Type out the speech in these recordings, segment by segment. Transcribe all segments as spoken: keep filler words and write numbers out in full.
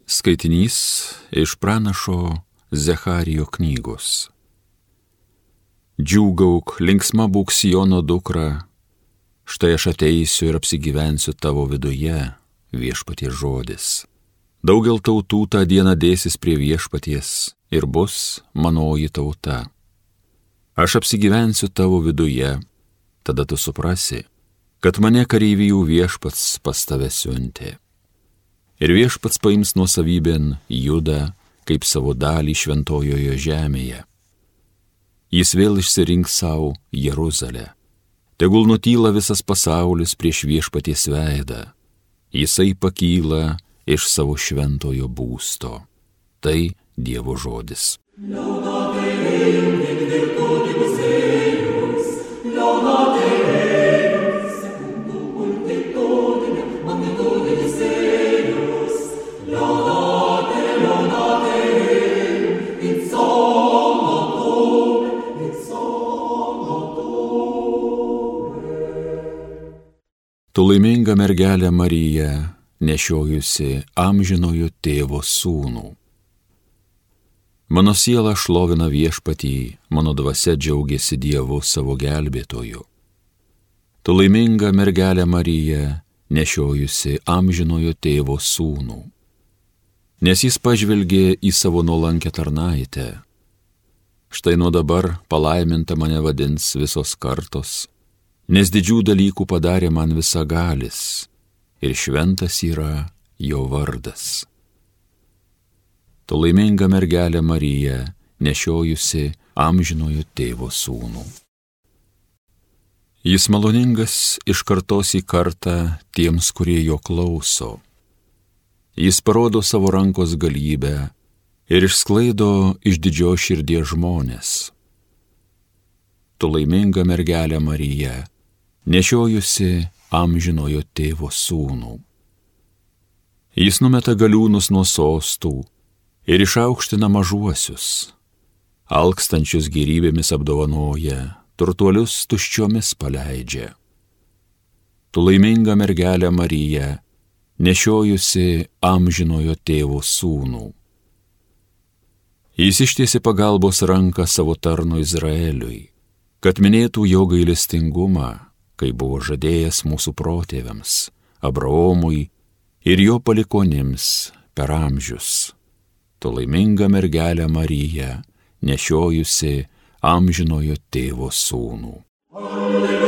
Skaitinys iš pranašo Zecharijo knygos. Džiūgauk, linksma būk Siono dukra, štai aš ateisiu ir apsigyvensiu tavo viduje, viešpaties žodis. Daugel tautų tą dieną dėsis prie viešpaties ir bus manoji tauta. Aš apsigyvensiu tavo viduje, tada tu suprasi, kad mane kareivijų viešpats pas tave siuntė. Ir viešpats paims nuosavybėn Judą kaip savo dalį šventojoje žemėje. Jis vėl išsirinks savo Jeruzalę. Tegul nutyla visas pasaulis prieš viešpaties veidą. Jisai pakyla iš savo šventojo būsto. Tai Dievo žodis. Tu laiminga mergelė Marija, nešiojusi amžinojo tėvo sūnų. Mano siela šlovina viešpatį, mano dvasia džiaugiasi Dievu savo gelbėtoju. Tu laiminga mergelė Marija, nešiojusi amžinojo tėvo sūnų. Nes jis pažvelgė į savo nuolankę tarnaitę. Štai nuo dabar palaiminta mane vadins visos kartos, nes didžių dalykų padarė man visagalis, ir šventas yra jo vardas. Tu laiminga mergelė Marija, nešiojusi amžinojo tėvo sūnų. Jis maloningas iš kartos į kartą tiems, kurie jo klauso. Jis parodo savo rankos galybę ir išsklaido iš didžios širdies žmonės. Tu laiminga mergelė Marija, nešiojusi amžinojo tėvo sūnų. Jis numeta galiūnus nuo sostų ir išaukština mažuosius, alkstančius gėrybėmis apdovanoja, turtuolius tuščiomis paleidžia. Tu laiminga mergelė Marija, nešiojusi amžinojo tėvo sūnų. Jis ištiesė pagalbos ranką savo tarnui Izraeliui, kad minėtų jo gailestingumą, kai buvo žadėjęs mūsų protėviams, Abraomui ir jo palikonims per amžius. Tu laiminga mergelė Marija, nešiojusi amžinojo tėvo sūnų. Alleluja,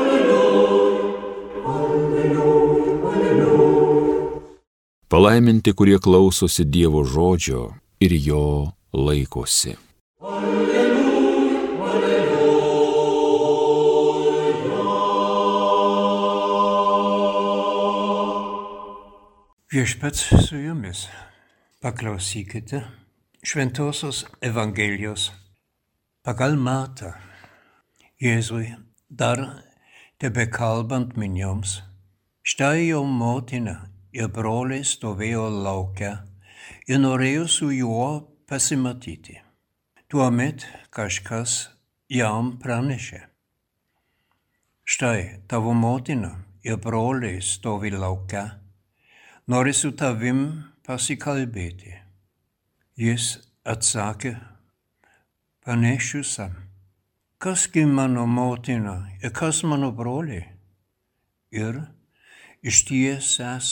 alleluja, alleluja, alleluja. Palaiminti, kurie klausosi Dievo žodžio ir jo laikosi. Viešpats su jumis. Paklausykite Šventosios Evangelijos pagal Matą. Jėzui dar tebekalbant minioms, štai jo motina ir broliai stovėjo lauke ir norėjo su juo pasimatyti. Tuomet kažkas jam pranešė: štai tavo motina ir broliai stovi lauke, nori su tavim pasikalbėti. Jis atsakė panašiusam: kasgi mano motina ir kas mano broliai? Ir ištiesęs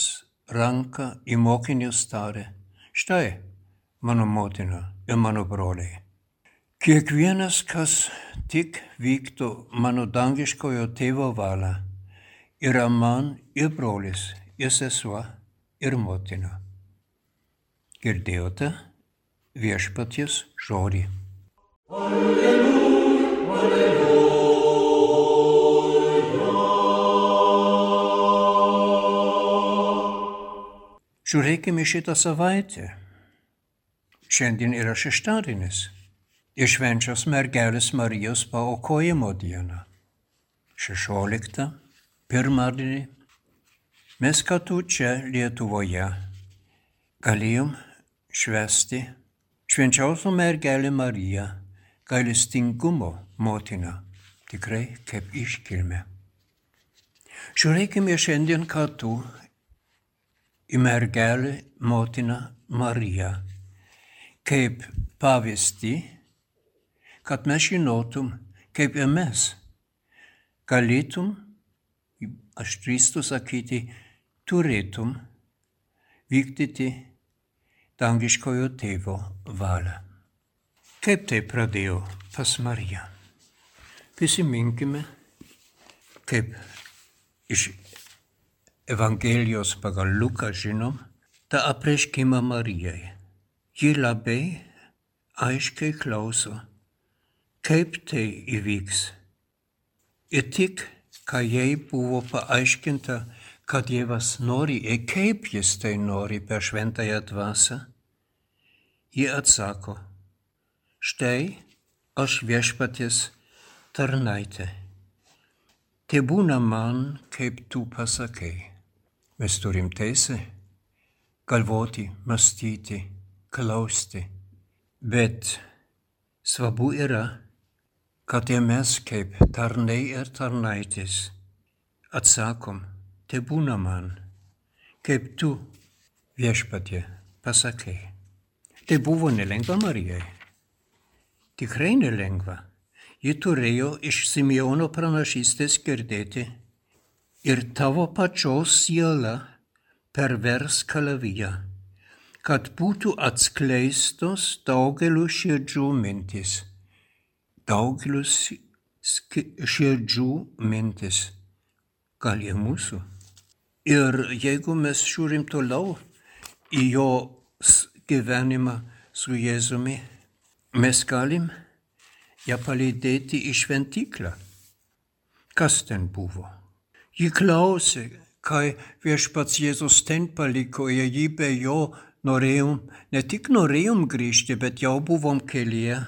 ranką į mokinius tarė: štai mano motina ir mano broliai. Kiekvienas, kas tik vyktų mano dangiškojo tėvo valią, yra man ir brolis, ir sesuo, ir motina. Girdėjote viešpaties žodį. Alleluja, alleluja. Žiūrėkime šitą savaitę. Šiandien yra šeštadienis ir švenčios mergelės Marijos paaukojimo diena. šešioliktą, pirmadienį, mes kartu čia Lietuvoje galėjom švęsti švenčiausią mergelę Mariją, gailestingumo motiną, tikrai kaip iškilmę. Žiūrėkime šiandien kartu į mergelę motiną Mariją, kaip pavyzdį, kad mes žinotum, kaip ir mes galėtum, aš drįstu sakyti, turėtum vykdyti dangiškojo tėvo valią. Kaip tai pradėjo pas Mariją? Prisiminkime, kaip iš Evangelijos pagal Luką žinom, tą apreiškimą Marijai. Ji labai aiškiai klauso, kaip tai įvyks. Ir tik, kai jai buvo paaiškinta, kad Dievas nori ir kaip jis tai nori per šventąją dvasią, ji atsako, štai aš viešpaties tarnaitė. Te būna man, kaip tu pasakai. Mes turim teisę galvoti, mąstyti, klausti. Bet svarbu yra, kad ir mes kaip tarnai ir tarnaitės atsakom, te būna man, kaip tu viešpatie pasakai. Tai buvo nelengva Marijai. Tikrai nelengva. Ji turėjo iš Simeono pranašystės girdėti ir tavo pačios siela pervers kalaviją, kad būtų atskleistos daugelių širdžių mintys. Daugelių širdžių mintis. Gal ir mūsų. Ir jeigu mes žiūrim toliau į jo gyvenimą su Jėzumi, mes galim ją palydėti į šventyklą. Kas ten buvo? Ji klausė, kai viešpats Jėzus ten paliko ir jį be jo norėjom, ne tik norėjom grįžti, bet jau buvom kelyje.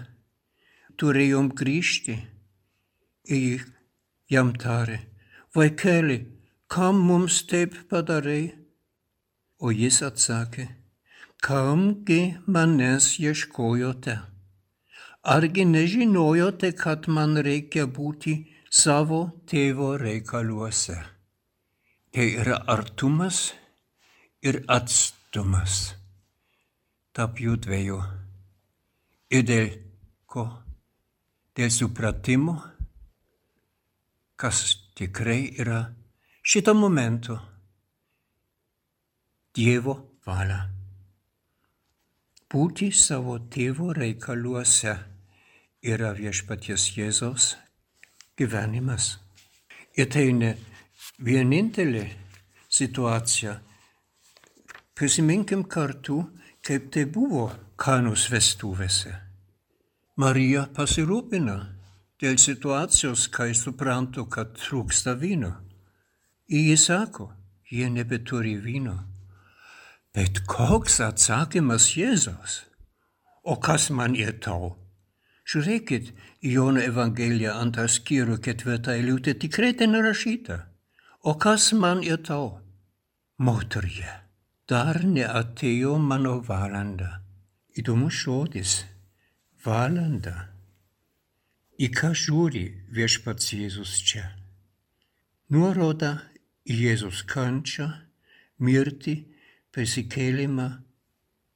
Turėjom grįžti. Ir jam tarė, vaikeli, kam mums taip padarai? O jis atsakė, kamgi manęs ieškojote? Argi nežinojote, kad man reikia būti savo tėvo reikaluose? Tai yra artumas ir atstumas tarp jų dviejų. Ir dėl ko? Dėl supratimo, kas tikrai yra šito momento Dievo valia. Būti savo tėvo reikaluose yra viešpaties Jėzaus gyvenimas. Ir tai ne vienintelė situacija. Prisiminkim kartu, kaip tai buvo Kanos vestuvėse. Marija pasirūpina dėl situacijos, kai suprantu, kad trūksta vyno. Ir jis sako, jie nebeturi vyno. Bet koks atsakymas Jėzaus? O kas man ir tau? Žiūrėkit, Jono Evangelija antrą skyrių ketvirtą eilutę tikrai ten rašyta. O kas man ir tau? Moterie, dar neatėjo mano valanda. Įdomus žodis. Valanda. Į ką žiūri viešpats Jėzus čia? Nuoroda į Jėzus kančią, mirtį, prisikėlimą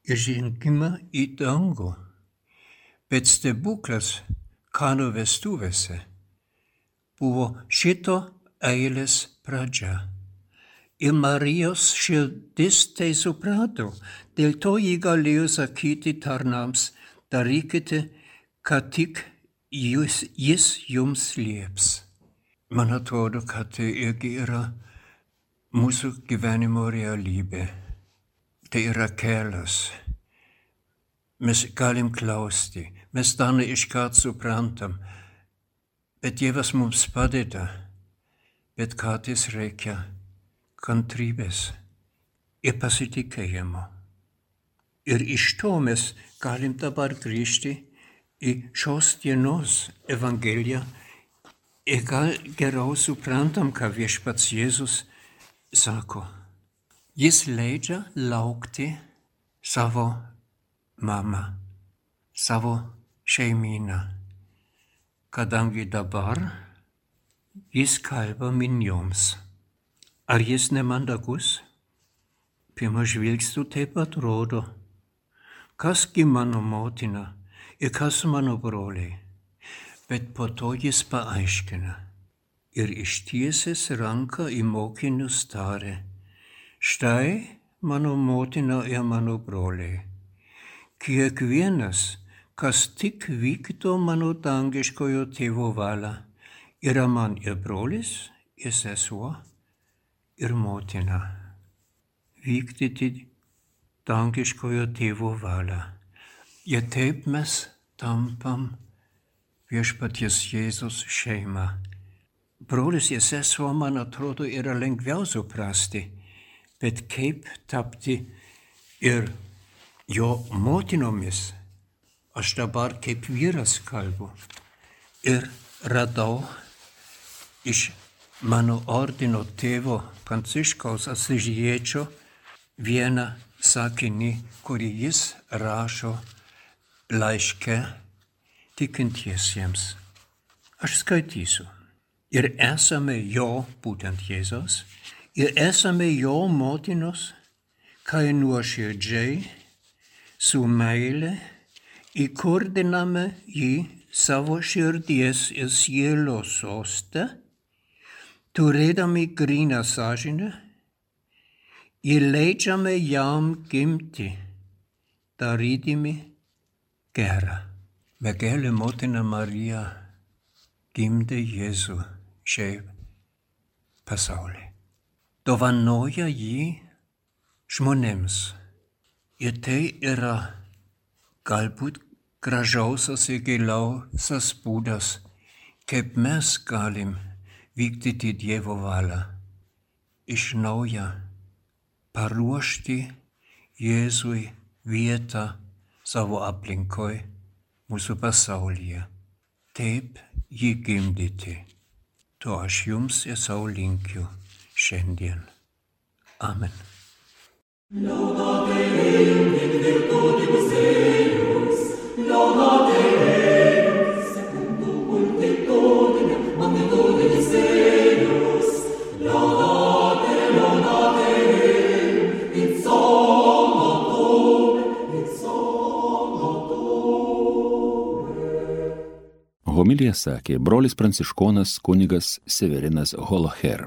ir žengimą į dangų. Bet stebuklas Kanų vestuvėse buvo šito eilės pradžia. Ir Marijos širdis tai suprato, dėl to ji galėjo sakyti tarnams, darykite, kad tik jis, jis jums lieps. Man atrodo, kad tai irgi yra mūsų gyvenimo realybė. Tai yra kelias. Mes galim klausti, mes dar ne iškart suprantam, bet Dievas mums padeda, bet kartais reikia kantrybės ir pasitikėjimo. Ir iš to mes galim dabar grįžti į šios dienos Evangeliją ir gal geriau suprantam, ką viešpats Jėzus sako. Jis leidžia laukti savo mamą, savo šeimyną, kadangi dabar jis kalba minioms. Ar jis nemandagus? Pirmą žvilgsniu taip atrodo, kasgi mano motina ir kas mano broliai. Bet po to jis paaiškina ir ištiesęs ranką į mokinius tarė, štai mano motina ir mano broliai. Kiekvienas, kas tik vykdo mano dangiškojo tėvo valią, yra man ir brolis, ir sesuo, ir motina. Vykdyti dangiškojo tėvo valią. Ir taip mes tampam viešpaties Jėzus šeima. Brolis ir sesuo, man atrodo, yra lengviau suprasti, bet kaip tapti ir jo motinomis. Aš dabar kaip vyras kalbu ir radau iš mano ordino tėvo Pranciškaus Asyžiečio vieną sakinį, kurį jis rašo laiške tikintiesiems. Aš skaitysiu. Ir esame jo, būtent Jėzaus, ir esame jo motinos, kai nuoširdžiai, su meile, įkurdiname jį savo širdies ir sielos soste, turėdami gryną sąžinę, ir leidžiame jam gimti, darydami gera. Mergelė motina Marija gimdė Jėzų šiai pasaulį. Dovanoja jį žmonėms. Ir tai yra galbūt gražiausias ir giliausias būdas, kaip mes galim vykdyti Dievo valią. Iš naujo paruošti Jėzui vietą savo aplinkoj, mūsų pasaulyje. Taip jį gimdyti. To aš jums ir savo linkiu šiandien. Amen. Laudate Deum in virtutibus eius, laudate Deum secundum multitudinem magnitudinis eius, laudate, laudate Deum in sommatum, in sommatum. Homiliją sakė brolis pranciškonas kunigas Severinas Holoher.